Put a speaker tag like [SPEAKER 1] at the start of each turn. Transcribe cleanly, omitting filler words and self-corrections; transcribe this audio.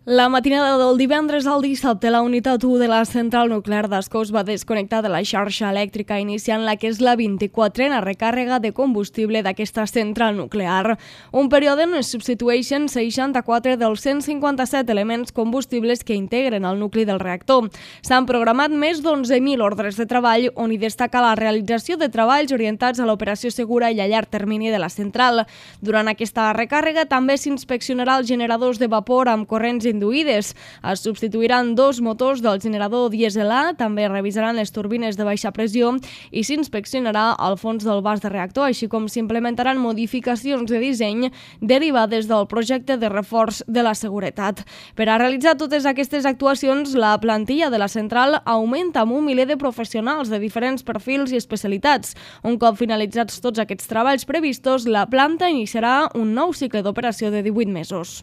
[SPEAKER 1] La matinada del divendres al dissabte, la unitat 1 de la central nuclear d'Ascó es va desconnectar de la xarxa elèctrica, iniciant la que és la 24a recàrrega de combustible d'aquesta central nuclear. Un període on es substitueixen 64 dels 157 elements combustibles que integren el nucli del reactor. S'han programat més d'11.000 ordres de treball, on hi destaca la realització de treballs orientats a l'operació segura i a llarg termini de la central. Durant aquesta recàrrega també s'inspeccionarà els generadors de vapor amb corrents induïdes. Es substituiran 2 motors del generador dièsel A, també revisaran les turbines de baixa pressió i s'inspeccionarà el fons del vas de reactor, així com s'implementaran modificacions de disseny derivades del projecte de reforç de la seguretat. Per a realitzar totes aquestes actuacions, la plantilla de la central augmenta amb un miler de professionals de diferents perfils i especialitats. Un cop finalitzats tots aquests treballs previstos, la planta iniciarà un nou cicle d'operació de 18 mesos.